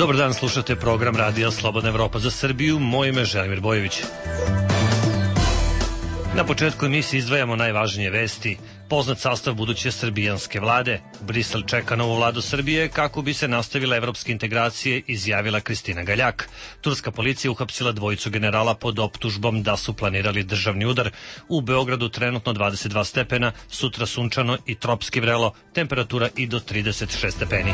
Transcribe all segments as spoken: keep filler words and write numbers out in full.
Dobar dan, slušate program Radija Slobodna Evropa za Srbiju. Moje ime je Želimir Bojović. Na početku emisije izdvajamo najvažnije vesti. Poznat sastav buduće srbijanske vlade. Brisel čeka novu vladu Srbije kako bi se nastavile evropske integracije, izjavila Kristina Galjak. Turska policija uhapsila dvojicu generala pod optužbom da su planirali državni udar. U Beogradu trenutno dvadeset dva stepena, sutra sunčano i tropski vrelo, temperatura i do trideset šest stepeni.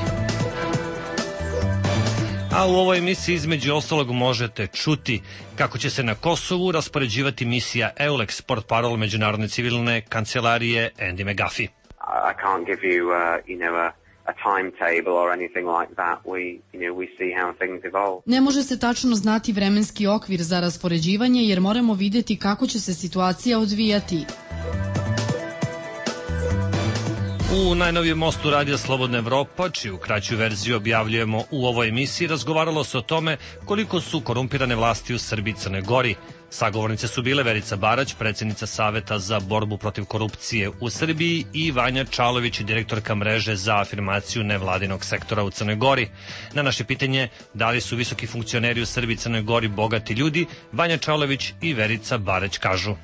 A u ovoj emisiji između ostalog možete čuti kako će se na Kosovu raspoređivati misija EULEX, portparol Međunarodne civilne kancelarije Andy McGuffie. I can't give you, uh, you know, a, a timetable or anything like that. We, you know, we see how things evolve. Ne može se tačno znati vremenski okvir za raspoređivanje jer moramo vidjeti kako će se situacija odvijati. U najnovijem mostu Radija Slobodna Evropa, čiju kraću verziju objavljujemo u ovoj emisiji, razgovaralo se o tome koliko su korumpirane vlasti u Srbiji i Crnoj Gori. Sagovornice su bile Verica Barać, predsjednica Saveta za borbu protiv korupcije u Srbiji, i Vanja Čalović, direktorka mreže za afirmaciju nevladinog sektora u Crnoj Gori. Na naše pitanje da li su visoki funkcioneri u Srbiji i Crnoj Gori bogati ljudi, Vanja Čalović i Verica Barać kažu: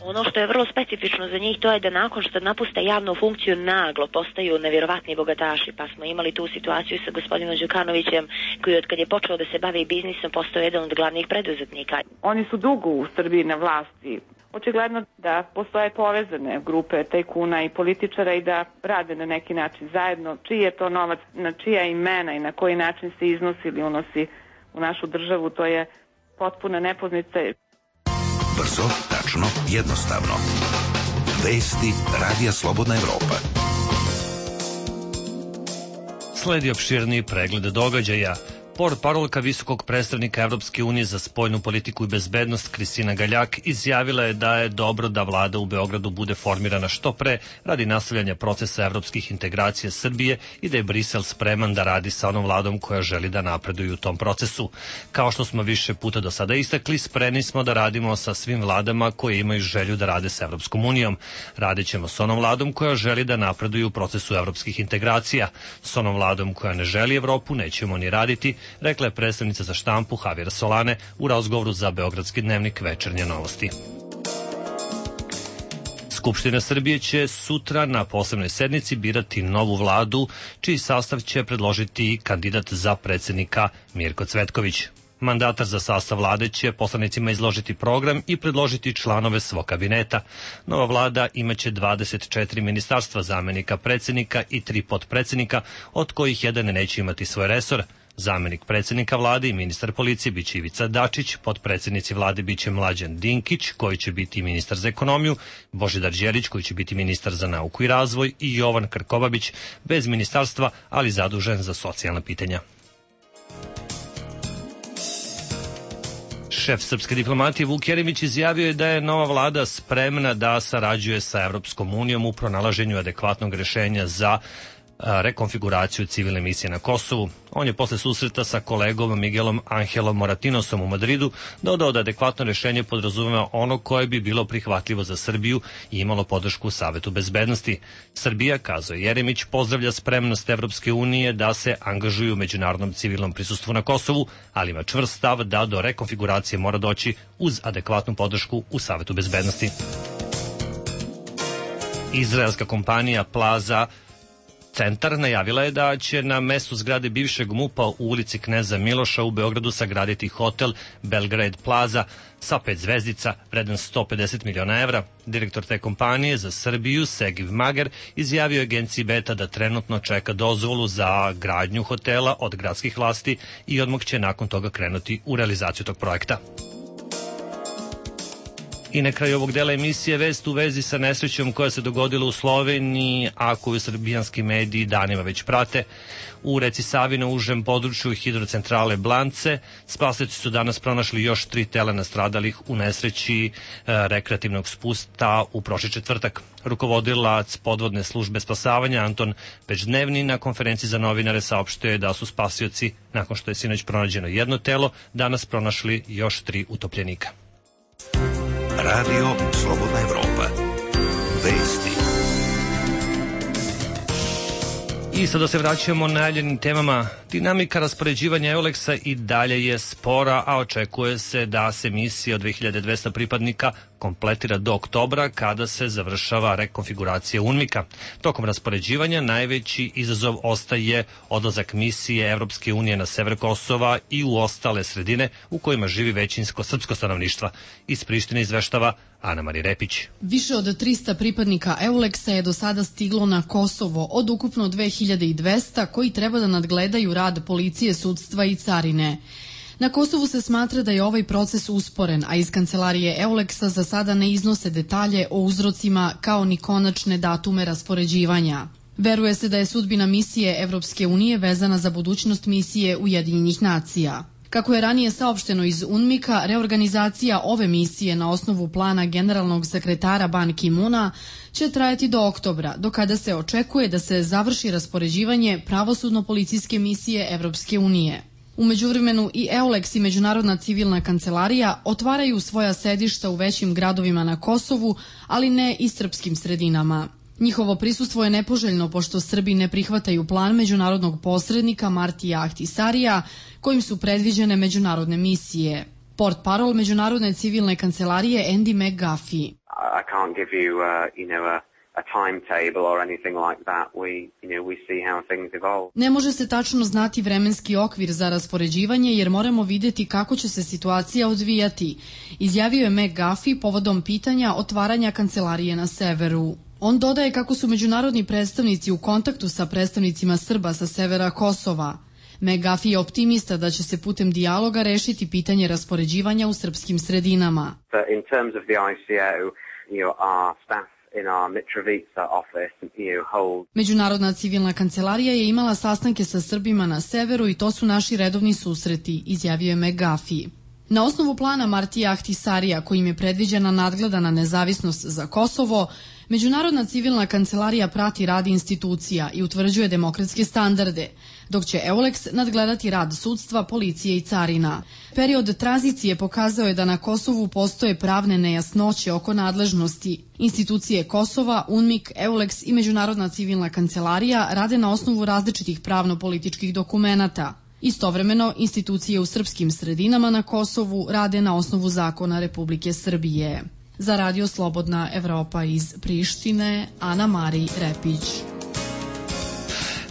ono što je vrlo specifično za njih to je da nakon što napuste javnu funkciju naglo postaju nevjerovatni bogataši, pa smo imali tu situaciju sa gospodinom Đukanovićem koji od kad je počeo da se bavi biznisom postao jedan od glavnih preduzetnika. Oni su dugo u Srbiji na vlasti. Očigledno da postoje povezane grupe tajkuna i političara i da rade na neki način zajedno. Čiji je to novac, na čija imena i na koji način se iznosi ili unosi u našu državu, to je potpuna nepoznanica. Brzo, tačno, jednostavno. Vesti Radija Slobodna Evropa. Sledi opširniji pregled događaja. Portparolka visokog predstavnika Evropske unije za spoljnu politiku i bezbednost Kristina Galjak izjavila je da je dobro da vlada u Beogradu bude formirana što pre radi nastavljanja procesa evropskih integracija Srbije i da je Brisel spreman da radi sa onom vladom koja želi da napreduje u tom procesu. Kao što smo više puta do sada istakli, spremni smo da radimo sa svim vladama koje imaju želju da rade sa Evropskom unijom. Radit ćemo s onom vladom koja želi da napreduje u procesu evropskih integracija. S onom vladom koja ne želi Evropu nećemo ni raditi, rekla je predstavnica za štampu Javier Solane u razgovoru za Beogradski dnevnik Večernje novosti. Skupština Srbije će sutra na posebnoj sednici birati novu vladu, čiji sastav će predložiti kandidat za predsjednika Mirko Cvetković. Mandatar za sastav vlade će poslanicima izložiti program i predložiti članove svog kabineta. Nova vlada imaće dvadeset četiri ministarstva, zamenika predsjednika i tri potpredsjednika, od kojih jedan neće imati svoj resor. Zamenik predsjednika vlade i ministar policije biće Ivica Dačić, potpredsjednici vlade biće Mlađan Dinkić, koji će biti ministar za ekonomiju, Božidar Đelić, koji će biti ministar za nauku i razvoj, i Jovan Krkobabić, bez ministarstva, ali zadužen za socijalna pitanja. Šef srpske diplomatije Vuk Jeremić izjavio je da je nova vlada spremna da sarađuje sa Evropskom unijom u pronalaženju adekvatnog rešenja za rekonfiguraciju civilne misije na Kosovu. On je posle susreta sa kolegom Miguelom Angelom Moratinosom u Madridu dodao da adekvatno rešenje podrazumeva ono koje bi bilo prihvatljivo za Srbiju i imalo podršku u Savetu bezbednosti. Srbija, kazao Jeremić, pozdravlja spremnost Evropske unije da se angažuju u međunarodnom civilnom prisustvu na Kosovu, ali ima čvrst stav da do rekonfiguracije mora doći uz adekvatnu podršku u Savetu bezbednosti. Izraelska kompanija Plaza Centar najavila je da će na mestu zgrade bivšeg MUP-a u ulici Kneza Miloša u Beogradu sagraditi hotel Belgrade Plaza sa pet zvezdica vredan sto pedeset miliona evra. Direktor te kompanije za Srbiju, Segiv Mager, izjavio agenciji Beta da trenutno čeka dozvolu za gradnju hotela od gradskih vlasti i odmah će nakon toga krenuti u realizaciju tog projekta. I na kraju ovog dela emisije vest u vezi sa nesrećom koja se dogodila u Sloveniji, a koju srbijanski mediji danima već prate. U reci Savi na užem području hidrocentrale Blance spasioci su danas pronašli još tri tela nastradalih u nesreći e, rekreativnog spusta u prošli četvrtak. Rukovodilac podvodne službe spasavanja Anton Pečdnevni na konferenciji za novinare saopštio je da su spasioci, nakon što je sinoć pronađeno jedno telo, danas pronašli još tri utopljenika. Radio Slobodna Evropa. Vesti. I sada se vraćamo najavljenim temama. Dinamika raspoređivanja Euleksa i dalje je spora, a očekuje se da se misija od dve hiljade dvesta pripadnika kompletira do oktobra, kada se završava rekonfiguracija UNMIK-a. Tokom raspoređivanja najveći izazov ostaje odlazak misije Evropske unije na sever Kosova i u ostale sredine u kojima živi većinsko srpsko stanovništva. Iz Prištine izveštava Ana Marija Repić. Više od trista pripadnika Euleksa je do sada stiglo na Kosovo od ukupno dve hiljade dvesta koji treba da nadgledaju rad policije, sudstva i carine. Na Kosovu se smatra da je ovaj proces usporen, a iz kancelarije Euleksa za sada ne iznose detalje o uzrocima kao ni konačne datume raspoređivanja. Veruje se da je sudbina misije Evropske unije vezana za budućnost misije Ujedinjenih nacija. Kako je ranije saopšteno iz UNMIK-a, reorganizacija ove misije na osnovu plana generalnog sekretara Ban Ki-muna će trajati do oktobra, do kada se očekuje da se završi raspoređivanje pravosudno-policijske misije Evropske unije. U međuvremenu i Euleks i Međunarodna civilna kancelarija otvaraju svoja sedišta u većim gradovima na Kosovu, ali ne i srpskim sredinama. Njihovo prisustvo je nepoželjno pošto Srbi ne prihvataju plan međunarodnog posrednika Martija Ahtisarija, kojim su predviđene međunarodne misije. Portparol Međunarodne civilne kancelarije Andy McGuffey. I can't give you, uh, you know, a a timetable or anything like that. We, you know, we see how things evolve. Ne može se tačno znati vremenski okvir za raspoređivanje jer moramo videti kako će se situacija odvijati, izjavio je McGuffey povodom pitanja otvaranja kancelarije na severu. On dodaje kako su međunarodni predstavnici u kontaktu sa predstavnicima Srba sa severa Kosova. McGuffey je optimista da će se putem dijaloga rešiti pitanje raspoređivanja u srpskim sredinama. In terms of the I C O, you know, our staff in our Mitrovica office, you know, hold. Međunarodna civilna kancelarija je imala sastanke sa Srbima na severu i to su naši redovni susreti, izjavio je McGuffey. Na osnovu plana Martija Ahtisarija, kojim je predviđena nadgledana nezavisnost za Kosovo, Međunarodna civilna kancelarija prati rad institucija i utvrđuje demokratske standarde, dok će Euleks nadgledati rad sudstva, policije i carina. Period tranzicije pokazao je da na Kosovu postoje pravne nejasnoće oko nadležnosti. Institucije Kosova, UNMIK, Euleks i Međunarodna civilna kancelarija rade na osnovu različitih pravno-političkih dokumenata. Istovremeno, institucije u srpskim sredinama na Kosovu rade na osnovu zakona Republike Srbije. Za Radio Slobodna Evropa iz Prištine, Ana Marija Repić.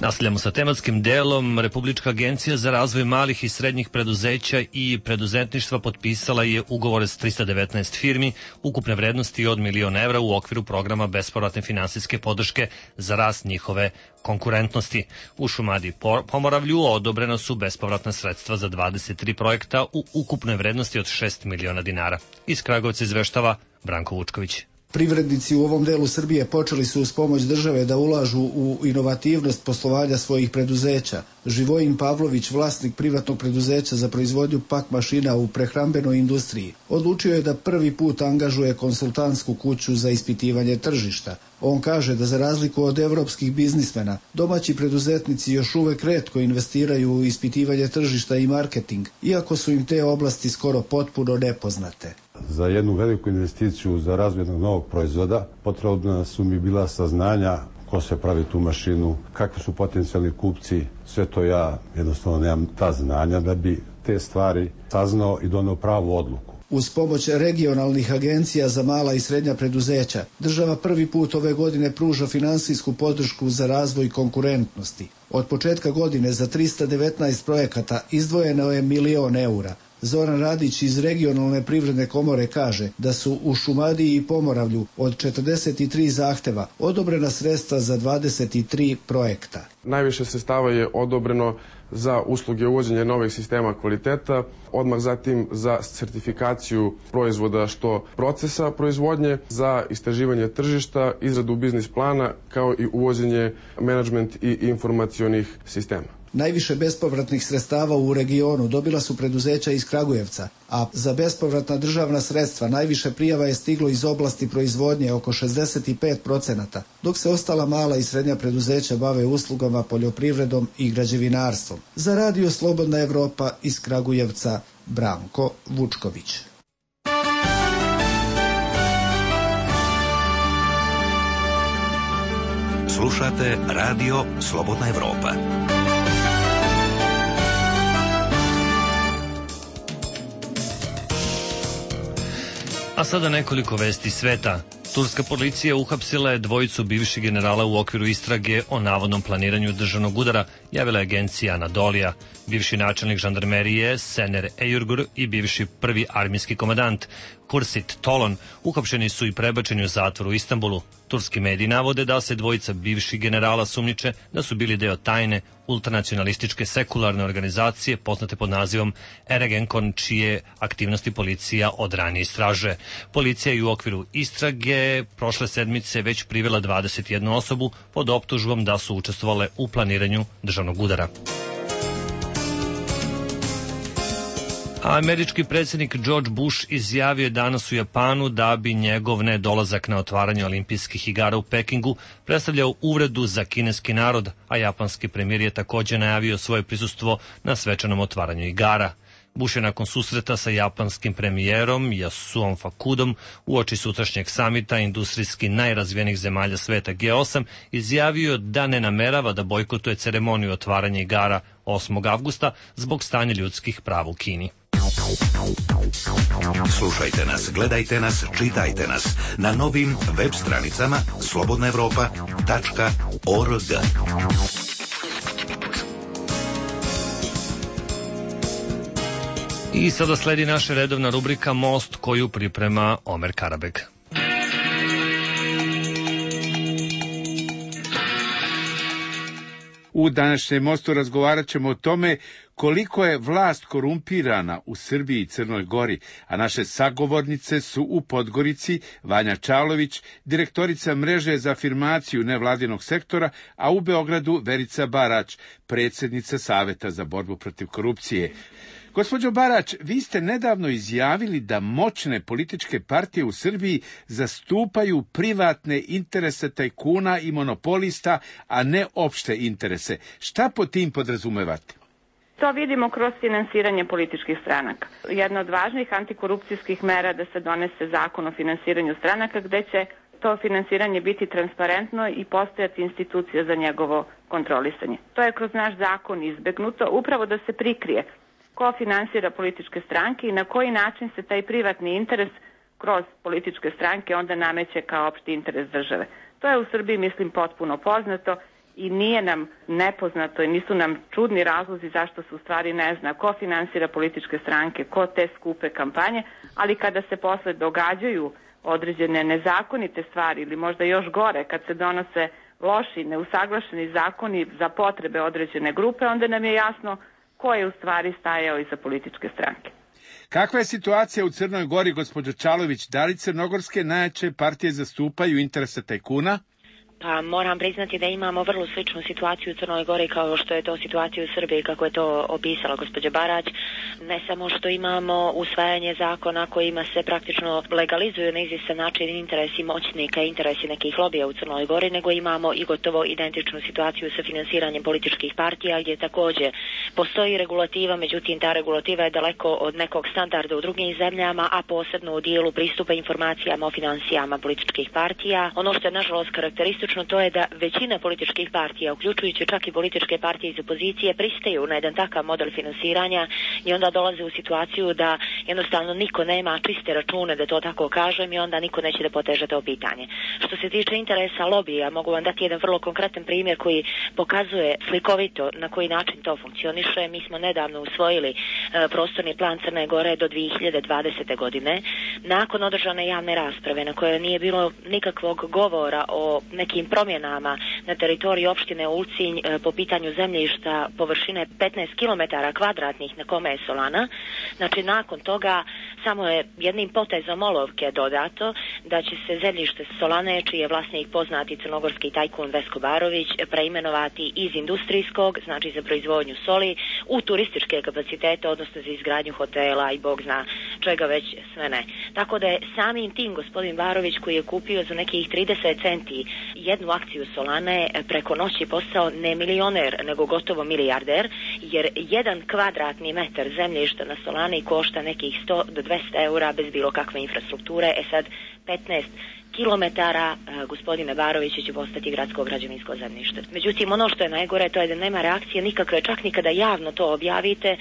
Nastavljamo sa tematskim delom. Republička agencija za razvoj malih i srednjih preduzeća i preduzetništva potpisala je ugovore s trista devetnaest firmi ukupne vrednosti od milion evra u okviru programa bespovratne finansijske podrške za rast njihove konkurentnosti. U Šumadiji Pomoravlju odobrena su bespovratna sredstva za dvadeset tri projekta u ukupnoj vrednosti od šest miliona dinara. Iz Kragujevca izveštava Branko Vučković. Privrednici u ovom delu Srbije počeli su uz pomoć države da ulažu u inovativnost poslovanja svojih preduzeća. Živojin Pavlović, vlasnik privatnog preduzeća za proizvodnju pak mašina u prehrambenoj industriji, odlučio je da prvi put angažuje konsultantsku kuću za ispitivanje tržišta. On kaže da za razliku od evropskih biznismena, domaći preduzetnici još uvek retko investiraju u ispitivanje tržišta i marketing, iako su im te oblasti skoro potpuno nepoznate. Za jednu veliku investiciju za razvoj jednog novog proizvoda potrebna su mi bila saznanja ko se pravi tu mašinu, kakvi su potencijalni kupci, sve to ja jednostavno nemam ta znanja da bi te stvari saznao i doneo pravu odluku. Uz pomoć regionalnih agencija za mala i srednja preduzeća, država prvi put ove godine pruža finansijsku podršku za razvoj konkurentnosti. Od početka godine za trista devetnaest projekata izdvojeno je milion eura. Zoran Radić iz regionalne privredne komore kaže da su u Šumadiji i Pomoravlju od četrdeset tri zahteva odobrena sredstva za dvadeset tri projekta. Najviše sredstava je odobreno za usluge uvođenja novih sistema kvaliteta, odmah zatim za sertifikaciju proizvoda što procesa proizvodnje, za istraživanje tržišta, izradu biznis plana kao i uvođenje menadžment i informacionih sistema. Najviše bespovratnih sredstava u regionu dobila su preduzeća iz Kragujevca, a za bespovratna državna sredstva najviše prijava je stiglo iz oblasti proizvodnje oko šezdeset pet procenata, dok se ostala mala i srednja preduzeća bave uslugama, poljoprivredom i građevinarstvom. Za Radio Slobodna Evropa iz Kragujevca, Branko Vučković. Slušate Radio Slobodna Evropa. A sada nekoliko vesti sveta. Turska policija uhapsila je dvojicu bivših generala u okviru istrage o navodnom planiranju državnog udara, javila je agencija Anadolija. Bivši načelnik žandarmerije Sener Eyurgur i bivši prvi armijski komandant Kursit Tolon uhapšeni su i prebačeni u zatvor u Istanbulu. Turski mediji navode da se dvojica bivših generala sumnjiče da su bili deo tajne ultranacionalističke sekularne organizacije poznate pod nazivom Ergenekon, čije aktivnosti policija od ranije istražuje. Policija je u okviru istrage prošle sedmice već privela dvadeset jednu osobu pod optužbom da su učestvovale u planiranju državnog udara. Američki predsjednik George Bush izjavio je danas u Japanu da bi njegov nedolazak na otvaranje olimpijskih igara u Pekingu predstavljao uvredu za kineski narod, a japanski premijer je također najavio svoje prisustvo na svečanom otvaranju igara. Bush je nakon susreta sa japanskim premijerom Yasuom Fakudom uoči sutrašnjeg samita industrijski najrazvijenijih zemalja sveta G osam izjavio da ne namerava da bojkotuje ceremoniju otvaranja igara osmog avgusta zbog stanja ljudskih prava u Kini. Slušajte nas, gledajte nas, čitajte nas na novim web stranicama slobodna evropa tačka org. I sada sledi naša redovna rubrika Most, koju priprema Omer Karabeg. U današnjem Mostu razgovarat ćemo o tome koliko je vlast korumpirana u Srbiji i Crnoj Gori, a naše sagovornice su u Podgorici Vanja Čalović, direktorica mreže za afirmaciju nevladinog sektora, a u Beogradu Verica Barać, predsjednica Saveta za borbu protiv korupcije. Gospođo Barać, vi ste nedavno izjavili da moćne političke partije u Srbiji zastupaju privatne interese tajkuna i monopolista, a ne opšte interese. Šta pod tim podrazumevate? To vidimo kroz finansiranje političkih stranaka. Jedna od važnih antikorupcijskih mera da se donese zakon o finansiranju stranaka, gde će to finansiranje biti transparentno i postojati institucija za njegovo kontrolisanje. To je kroz naš zakon izbegnuto, upravo da se prikrije ko finansira političke stranke i na koji način se taj privatni interes kroz političke stranke onda nameće kao opšti interes države. To je u Srbiji, mislim, potpuno poznato i nije nam nepoznato i nisu nam čudni razlozi zašto se u stvari ne zna ko finansira političke stranke, ko te skupe kampanje, ali kada se posle događaju određene nezakonite stvari ili možda još gore, kad se donose loši, neusaglašeni zakoni za potrebe određene grupe, onda nam je jasno ko je u stvari stajao iza političke stranke. Kakva je situacija u Crnoj Gori, gospođo Čalović? Da li crnogorske najjače partije zastupaju interese tajkuna? Pa moram priznati da imamo vrlo sličnu situaciju u Crnoj Gori kao što je to situacija u Srbiji, kako je to opisala gospođa Barać. Ne samo što imamo usvajanje zakona kojima se praktično legalizuju na izvjestan način interesi moćnika i interesi nekih lobija u Crnoj Gori, nego imamo i gotovo identičnu situaciju sa finansiranjem političkih partija, gdje također postoji regulativa, međutim ta regulativa je daleko od nekog standarda u drugim zemljama, a posebno u dijelu pristupa informacijama o financijama političkih partija. Ono što je nažalost karakteristično to je da većina političkih partija, uključujući čak i političke partije iz opozicije, pristaju na jedan takav model finansiranja i onda dolaze u situaciju da jednostavno niko nema čiste račune, da to tako kažem, i onda niko neće da poteže to pitanje. Što se tiče interesa lobija, mogu vam dati jedan vrlo konkretan primjer koji pokazuje slikovito na koji način to funkcioniše. Mi smo nedavno usvojili e, prostorni plan Crne Gore do dvije hiljade dvadesete. godine, nakon održane javne rasprave na kojoj nije bilo nikakvog govora o nekim promjenama na teritoriji opštine Ulcinj po pitanju zemljišta površine petnaest kilometara kvadratnih na kome je Solana. Znači, nakon toga samo je jednim potezom olovke dodato da će se zemljište Solane, čiji je vlasnik poznati crnogorski tajkun Vesko Barović, preimenovati iz industrijskog, znači za proizvodnju soli, u turističke kapacitete, odnosno za izgradnju hotela i bog zna čega već sve ne. Tako da je samim tim gospodin Barović, koji je kupio za nekih trideset centi jednu akciju Solane, preko noći postao ne milioner, nego gotovo milijarder, jer jedan kvadratni metar zemljišta na Solani košta nekih sto do dvesta eura bez bilo kakve infrastrukture. E sad, petnaest kilometara gospodine Barovića će postati gradsko građevinsko zemljište. Međutim, ono što je najgore, to je da nema reakcije nikakve, čak ni kada javno to objavite,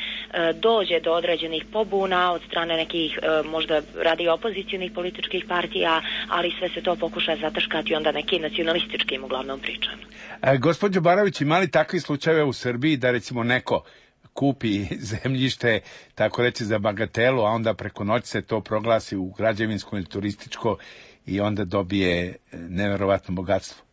dođe do određenih pobuna od strane nekih možda radi opozicionih političkih partija, ali sve se to pokuša zataškati onda nekim nacionalističkim uglavnom pričama. E, gospođo Barović, ima li takvi slučajeve u Srbiji da recimo neko kupi zemljište, tako reći, za bagatelu, a onda preko noći se to proglasi u građevinsko ili turističko i onda dobije neverovatno bogatstvo?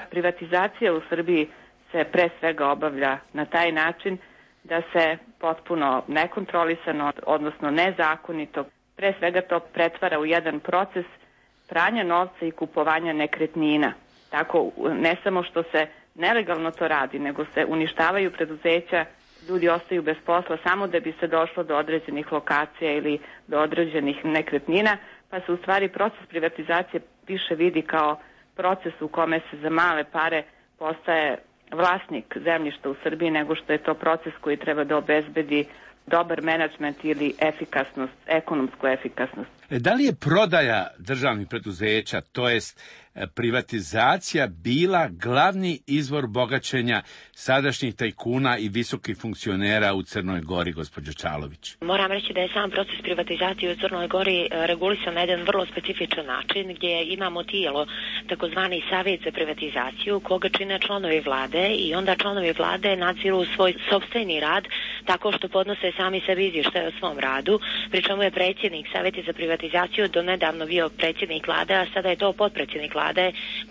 Privatizacija u Srbiji se pre svega obavlja na taj način da se potpuno nekontrolisano, odnosno nezakonito, pre svega to pretvara u jedan proces pranja novca i kupovanja nekretnina. Tako, ne samo što se nelegalno to radi, nego se uništavaju preduzeća, ljudi ostaju bez posla samo da bi se došlo do određenih lokacija ili do određenih nekretnina, pa se u stvari proces privatizacije više vidi kao proces u kome se za male pare postaje vlasnik zemljišta u Srbiji, nego što je to proces koji treba da obezbedi dobar menadžment ili efikasnost, ekonomsku efikasnost. Da li je prodaja državnih preduzeća, to jest privatizacija, bila glavni izvor bogaćenja sadašnjih tajkuna i visokih funkcionera u Crnoj Gori, gospođo Čalović? Moram reći da je sam proces privatizacije u Crnoj Gori regulisan na jedan vrlo specifičan način, gdje imamo tijelo, takozvani savjet za privatizaciju, koga čine članovi vlade, i onda članovi vlade nadziru svoj sopstveni rad tako što podnose sami sebi izvještaje o svom radu, pri čemu je predsjednik savjeta za privatizaciju do nedavno bio predsjednik vlade, a sada je to potpredsjednik vlade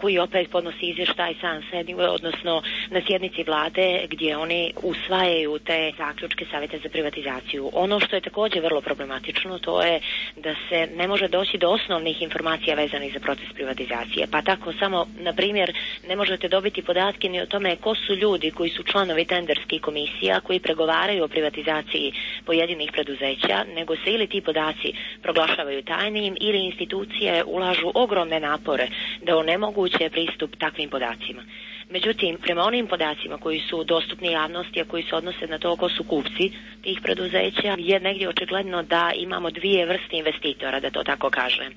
koji opet podnosi izvještaj sam sebi, odnosno na sjednici vlade gdje oni usvajaju te zaključke savjeta za privatizaciju. Ono što je također vrlo problematično, to je da se ne može doći do osnovnih informacija vezanih za proces privatizacije. Pa tako samo, na primjer, ne možete dobiti podatke ni o tome ko su ljudi koji su članovi tenderskih komisija koji pregovaraju o privatizaciji pojedinih preduzeća, nego se ili ti podaci proglašavaju tajnim ili institucije ulažu ogromne napore da onemoguće pristup takvim podacima. Međutim, prema onim podacima koji su dostupni javnosti, a koji se odnose na to ko su kupci tih preduzeća, je negdje očigledno da imamo dvije vrste investitora, da to tako kažem.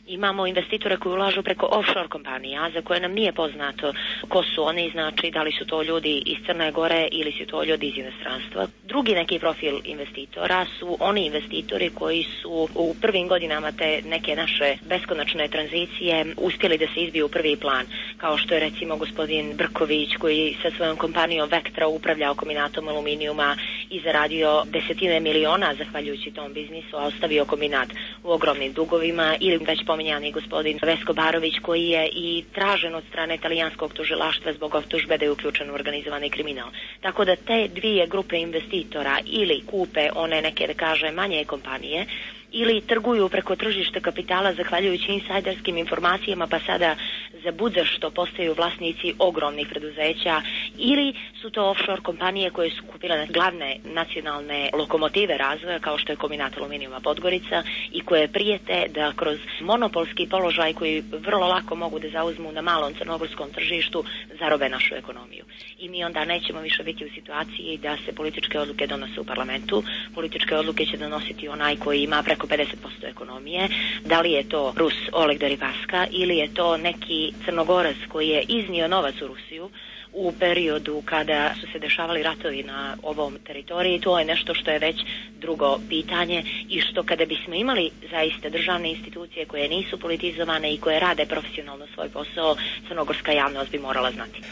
Imamo investitore koji ulažu preko offshore kompanija, za koje nam nije poznato ko su oni, znači da li su to ljudi iz Crne Gore ili su to ljudi iz inostranstva. Drugi neki profil investitora su oni investitori koji su u prvim godinama te neke naše beskonačne tranzicije uspjeli da se izbiju u prvi plan, kao što je recimo gospodin Brković, koji sa svojom kompanijom Vektra upravljao kombinatom aluminijuma i zaradio desetine miliona zahvaljujući tom biznisu, a ostavio kombinat u ogromnim dugovima, ili već pominjani gospodin Vesko Barović, koji je i tražen od strane italijanskog tužilaštva zbog optužbe da je uključen u organizovani kriminal. Tako da te dvije grupe investitora ili kupe one neke, da kaže, manje kompanije, ili trguju preko tržišta kapitala zahvaljujući insajderskim informacijama, pa sada za budzašto postaju vlasnici ogromnih preduzeća, ili su to offshore kompanije koje su kupile glavne nacionalne lokomotive razvoja, kao što je kombinat aluminijuma Podgorica, i koje prijete da kroz monopolski položaj koji vrlo lako mogu da zauzmu na malom crnogorskom tržištu zarobe našu ekonomiju. I mi onda nećemo više biti u situaciji da se političke odluke donose u parlamentu. Političke odluke će donositi onaj koji ima preko pedeset posto ekonomije, da li je to Rus Oleg Deripaska ili je to neki Crnogorac koji je iznio novac u Rusiju u periodu kada su se dešavali ratovi na ovom teritoriji. To je nešto što je već drugo pitanje i što kada bismo imali zaista državne institucije koje nisu politizovane i koje rade profesionalno svoj posao, crnogorska javnost bi morala znati.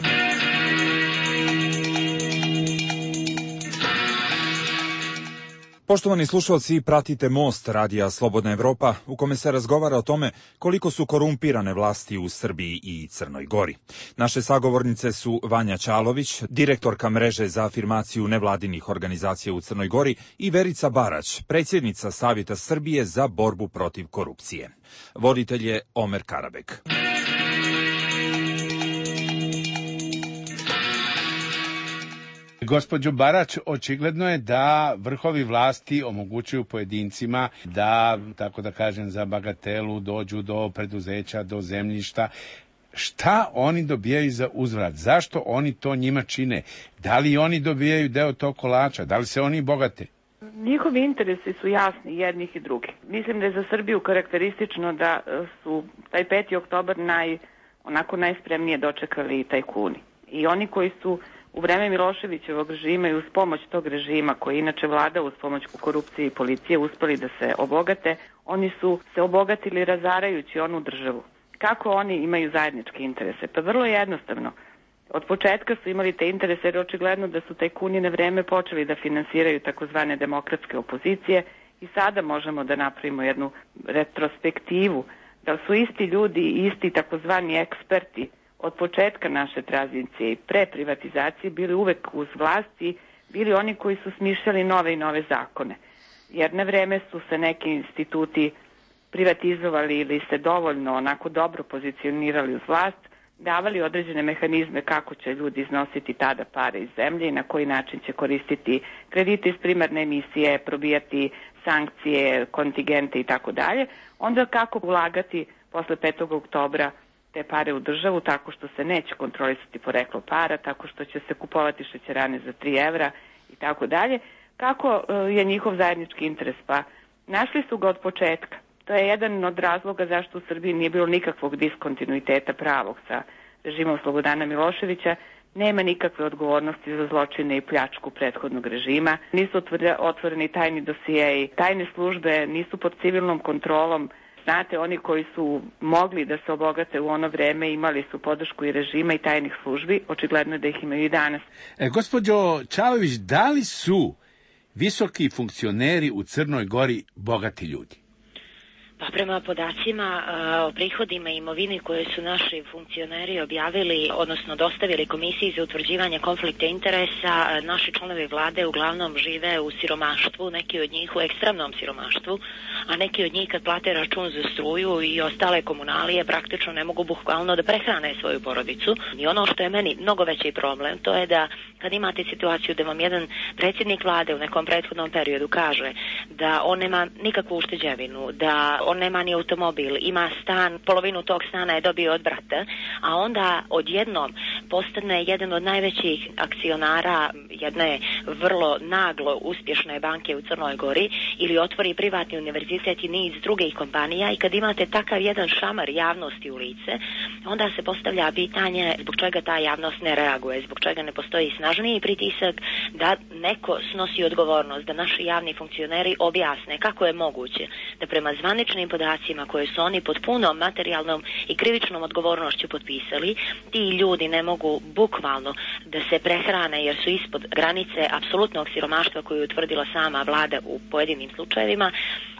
Poštovani slušalci, pratite Most radija Slobodna Evropa, u kome se razgovara o tome koliko su korumpirane vlasti u Srbiji i Crnoj Gori. Naše sagovornice su Vanja Čalović, direktorka mreže za afirmaciju nevladinih organizacija u Crnoj Gori, i Verica Barać, predsjednica Savjeta Srbije za borbu protiv korupcije. Voditelj je Omer Karabek. Gospođo Barać, očigledno je da vrhovi vlasti omogućuju pojedincima da, tako da kažem, za bagatelu dođu do preduzeća, do zemljišta. Šta oni dobijaju za uzvrat? Zašto oni to njima čine? Da li oni dobijaju deo tog kolača? Da li se oni bogate? Njihovi interesi su jasni jednih i drugih. Mislim da je za Srbiju karakteristično da su taj peti oktobar naj, onako najspremnije dočekali tajkuni. I oni koji su u vreme Miloševićevog režima i uz pomoć tog režima, koji inače vlada uz pomoć korupcije i policije, uspeli da se obogate, oni su se obogatili razarajući onu državu. Kako oni imaju zajedničke interese? Pa vrlo jednostavno. Od početka su imali te interese jer očigledno da su tajkuni na vreme počeli da finansiraju takozvane demokratske opozicije i sada možemo da napravimo jednu retrospektivu da su isti ljudi i isti takozvani eksperti od početka naše tranzicije i pre privatizacije bili uvek uz vlasti, bili oni koji su smišljali nove i nove zakone. Jer na vreme su se neki instituti privatizovali ili se dovoljno onako dobro pozicionirali uz vlast, davali određene mehanizme kako će ljudi iznositi tada pare iz zemlje i na koji način će koristiti kredite iz primarne emisije, probijati sankcije, kontingente i tako dalje. Onda kako ulagati posle petog oktobra te pare u državu tako što se neće kontrolisati poreklo para, tako što će se kupovati šećerane za tri evra i tako dalje. Kako je njihov zajednički interes? Pa našli su ga od početka. To je jedan od razloga zašto u Srbiji nije bilo nikakvog diskontinuiteta pravog sa režimom Slobodana Miloševića. Nema nikakve odgovornosti za zločine i pljačku prethodnog režima. Nisu otvoreni tajni dosijeji. Tajne službe nisu pod civilnom kontrolom. Znate, oni koji su mogli da se obogate u ono vreme imali su podršku i režima i tajnih službi. Očigledno je da ih imaju i danas. E, gospođo Čalović, da li su visoki funkcioneri u Crnoj Gori bogati ljudi? Pa prema podacima o prihodima i imovini koje su naši funkcioneri objavili, odnosno dostavili Komisiji za utvrđivanje konflikta interesa, naši članovi vlade uglavnom žive u siromaštvu, neki od njih u ekstremnom siromaštvu, a neki od njih kad plate račun za struju i ostale komunalije praktično ne mogu bukvalno da prehrane svoju porodicu. I ono što je meni mnogo veći problem, to je da kad imate situaciju da vam jedan predsjednik vlade u nekom prethodnom periodu kaže da on nema nikakvu ušteđevinu, da on nema ni automobil, ima stan, polovinu tog stana je dobio od brata, a onda odjednom postane jedan od najvećih akcionara jedne vrlo naglo uspješne banke u Crnoj Gori ili otvori privatni univerzitet i niz drugih kompanija i kad imate takav jedan šamar javnosti u lice, onda se postavlja pitanje zbog čega ta javnost ne reaguje, zbog čega ne postoji snažniji pritisak da neko snosi odgovornost, da naši javni funkcioneri objasne kako je moguće da prema zvaničnim podacima koje su oni pod punom materijalnom i krivičnom odgovornošću potpisali, ti ljudi ne mogu bukvalno da se prehrane jer su ispod granice apsolutnog siromaštva koju je utvrdila sama vlada u pojedinim slučajevima,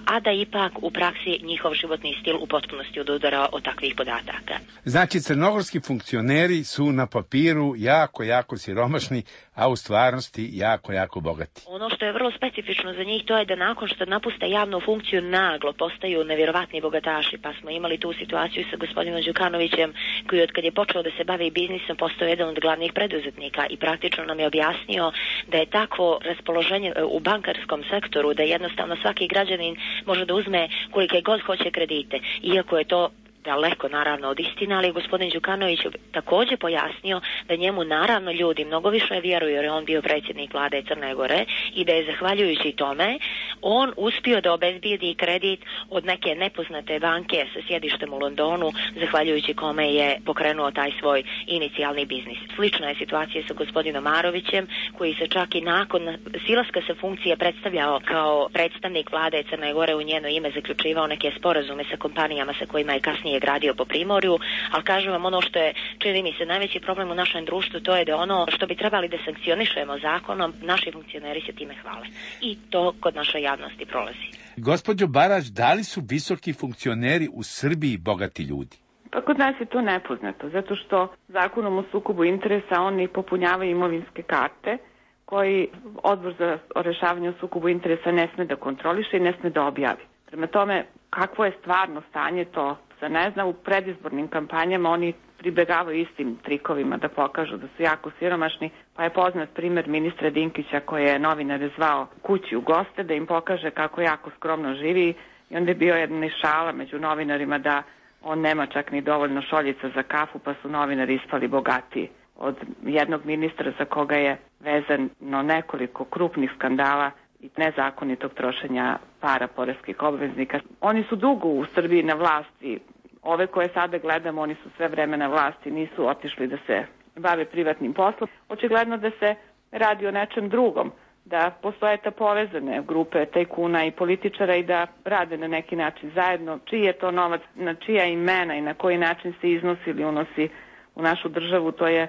a da ipak u praksi njihov životni stil u potpunosti odudara od takvih podataka. Znači, crnogorski funkcioneri su na papiru jako, jako siromašni, a u stvarnosti jako, jako bogati. Ono što je vrlo specifično za njih to je da nakon što napuste javnu funkciju naglo postaju nevjerovatni bogataši, pa smo imali tu situaciju sa gospodinom Đukanovićem koji od kad je počeo da se bavi biznisom postao jedan od glavnih preduzetnika i praktično nam je objasnio da je takvo raspoloženje u bankarskom sektoru da jednostavno svaki građanin može da uzme kolike god hoće kredite, iako je to daleko naravno od istine, ali gospodin Đukanović također pojasnio da njemu naravno ljudi mnogo više vjeruju jer je on bio predsjednik vlade Crne Gore i da je zahvaljujući tome on uspio da obezbijedi kredit od neke nepoznate banke sa sjedištem u Londonu, zahvaljujući kome je pokrenuo taj svoj inicijalni biznis. Slična je situacija sa gospodinom Marovićem koji se čak i nakon silaska sa funkcije predstavljao kao predstavnik vlade Crne Gore, u njeno ime zaključivao neke sporazume sa kompanijama sa kojima je kasnije je gradio po Primorju, ali kažem vam ono što je, čini mi se, najveći problem u našem društvu, to je da ono što bi trebali da sankcionišemo zakonom, naši funkcioneri se time hvale. I to kod naše javnosti prolazi. Gospođo Barać, da li su visoki funkcioneri u Srbiji bogati ljudi? Pa kod nas je to nepoznato, zato što zakonom o sukobu interesa oni popunjavaju imovinske karte koji Odbor za rešavanje o sukobu interesa ne sme da kontroliše i ne sme da objavi. Prema tome, kakvo je stvarno stanje, to se ne zna. U predizbornim kampanjama oni pribegavaju istim trikovima da pokažu da su jako siromašni, pa je poznat primer ministra Dinkića koji je novinare zvao kući u goste da im pokaže kako jako skromno živi i onda je bio jedna šala među novinarima da on nema čak ni dovoljno šoljica za kafu, pa su novinari ispali bogatiji od jednog ministra za koga je vezano nekoliko krupnih skandala i nezakonitog trošenja para poreskih obveznika. Oni su dugo u Srbiji na vlasti. Ove koje sada gledamo, oni su sve vreme na vlasti, nisu otišli da se bave privatnim poslom. Očigledno da se radi o nečem drugom, da postoje ta povezane grupe tajkuna i političara i da rade na neki način zajedno. Čiji je to novac, na čija imena i na koji način se iznosi ili unosi u našu državu, to je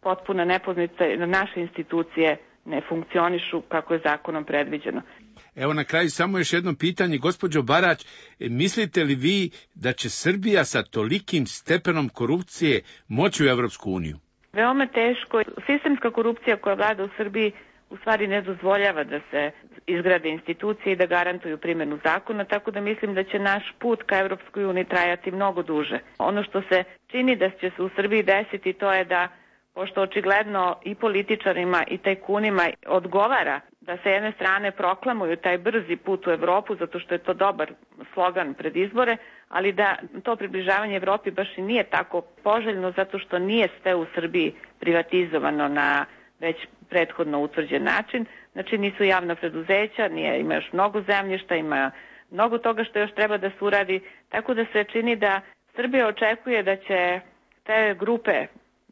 potpuna nepoznanica. Naše institucije ne funkcionišu kako je zakonom predviđeno. Evo na kraju samo još jedno pitanje. Gospođo Barać, mislite li vi da će Srbija sa tolikim stepenom korupcije moći u Evropsku uniju? Veoma teško. Sistemska korupcija koja vlada u Srbiji u stvari ne dozvoljava da se izgrade institucije i da garantuju primjenu zakona, tako da mislim da će naš put ka Evropskoj uniji trajati mnogo duže. Ono što se čini da će se u Srbiji desiti, to je da, pošto očigledno i političarima i tajkunima odgovara da sa jedne strane proklamuju taj brzi put u Evropu, zato što je to dobar slogan pred izbore, ali da to približavanje Evropi baš i nije tako poželjno, zato što nije sve u Srbiji privatizovano na već prethodno utvrđen način. Znači nisu javna preduzeća, nije, ima još mnogo zemljišta, ima mnogo toga što još treba da se uradi, tako da se čini da Srbija očekuje da će te grupe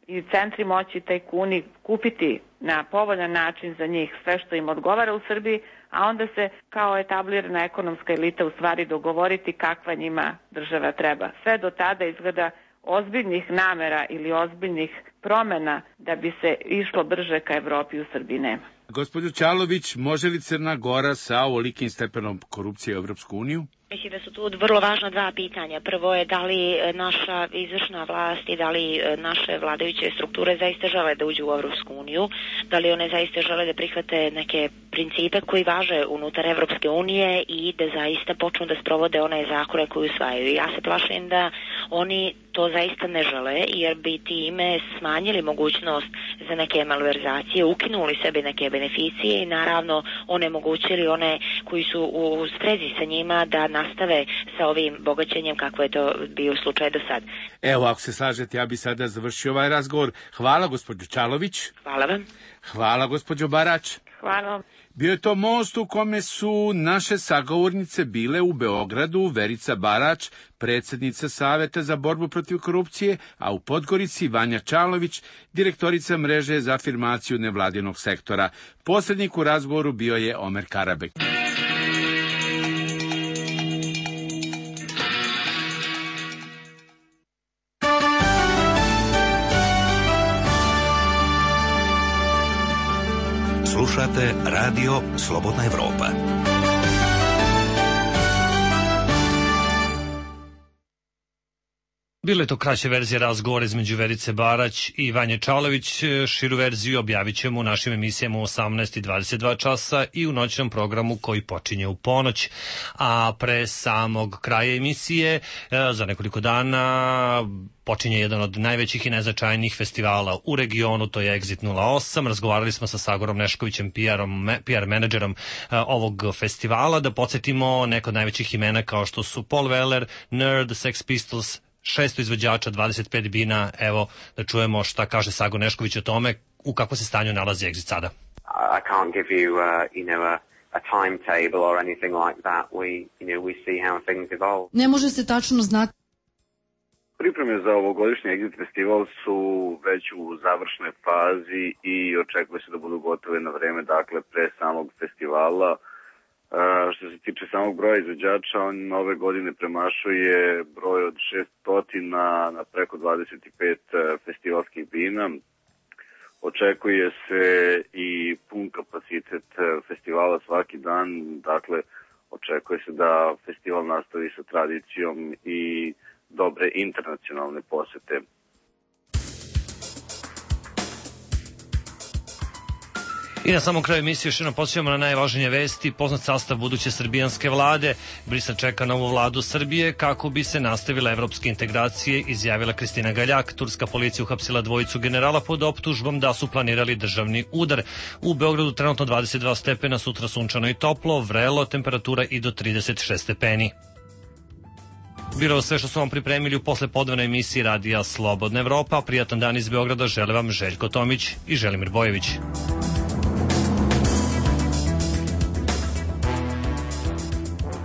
i centri moći tajkuni kupiti na povoljan način za njih sve što im odgovara u Srbiji, a onda se kao etablirana ekonomska elita u stvari dogovoriti kakva njima država treba. Sve do tada izgleda ozbiljnih namera ili ozbiljnih promena da bi se išlo brže ka Evropi u Srbiji nema. Gospođo Čalović, može li Crna Gora sa ovolikim stepenom korupcije u Evropsku uniju? Mislim da su tu vrlo važna dva pitanja. Prvo je da li naša izvršna vlast i da li naše vladajuće strukture zaista žele da uđu u Evropsku uniju, da li one zaista žele da prihvate neke principe koji važe unutar Evropske unije i da zaista počnu da sprovode one zakone koje usvajaju. Ja se plašim da oni to zaista ne žele, jer bi time smanjili mogućnost za neke malverzacije, ukinuli sebi neke beneficije i naravno onemogućili one koji su u sprezi sa njima da nastave sa ovim bogaćenjem kako je to bio slučaj do sad. Evo, ako se slažete, ja bi sada završio ovaj razgovor. Hvala, gospođo Čalović. Hvala vam. Hvala, gospođo Barać. Hvala. Bio je to most u kome su naše sagovornice bile u Beogradu Verica Barać, predsjednica Saveta za borbu protiv korupcije, a u Podgorici Vanja Čalović, direktorica mreže za afirmaciju nevladinog sektora. Posrednik u razgovoru bio je Omer Karabek. Slušate Radio Slobodna Evropa. Bilo je to kraća verzija razgovora između Verice Barać i Vanje Čalović. Širu verziju objavit ćemo u našim emisijama u osamnaest i dvadeset dva časa i u noćnom programu koji počinje u ponoć. A pre samog kraja emisije, za nekoliko dana, počinje jedan od najvećih i najznačajnijih festivala u regionu, to je Exit nula osam. Razgovarali smo sa Sagorom Neškovićem, P R menadžerom ovog festivala. Da podsjetimo neko od najvećih imena kao što su Paul Weller, Nerd, Sex Pistols, šesto izvođača, dvadeset pet bina. Evo da čujemo šta kaže Sago Nešković o tome, u kakvom se stanju nalazi Exit sada. I can't give you, uh, you know, a, a timetable or anything like that. We, you know, we see how things evolve. Ne može se tačno znati. Pripreme za ovogodišnji Exit festival su već u završnoj fazi i očekuje se da budu gotove na vreme, dakle pre samog festivala. Uh, što se tiče samog broja izvođača, on ove godine premašuje broj od šessto na, na preko dvadeset pet festivalskih bina. Očekuje se i pun kapacitet festivala svaki dan, dakle očekuje se da festival nastavi sa tradicijom i dobre internacionalne posete. I na samom kraju emisije još jednom posjećamo na najvažnije vesti. Poznat sastav buduće srbijanske vlade. Brisel čeka novu vladu Srbije kako bi se nastavile evropske integracije, izjavila Kristina Galjak. Turska policija uhapsila dvojicu generala pod optužbom da su planirali državni udar. U Beogradu trenutno dvadeset dva stepena, sutra sunčano i toplo, vrelo, temperatura i do trideset šest stepeni. Bilo sve što smo vam pripremili u poslepodnevnoj emisiji Radija Slobodna Evropa. Prijatan dan iz Beograda žele vam Željko Tomić i Želimir Bojević.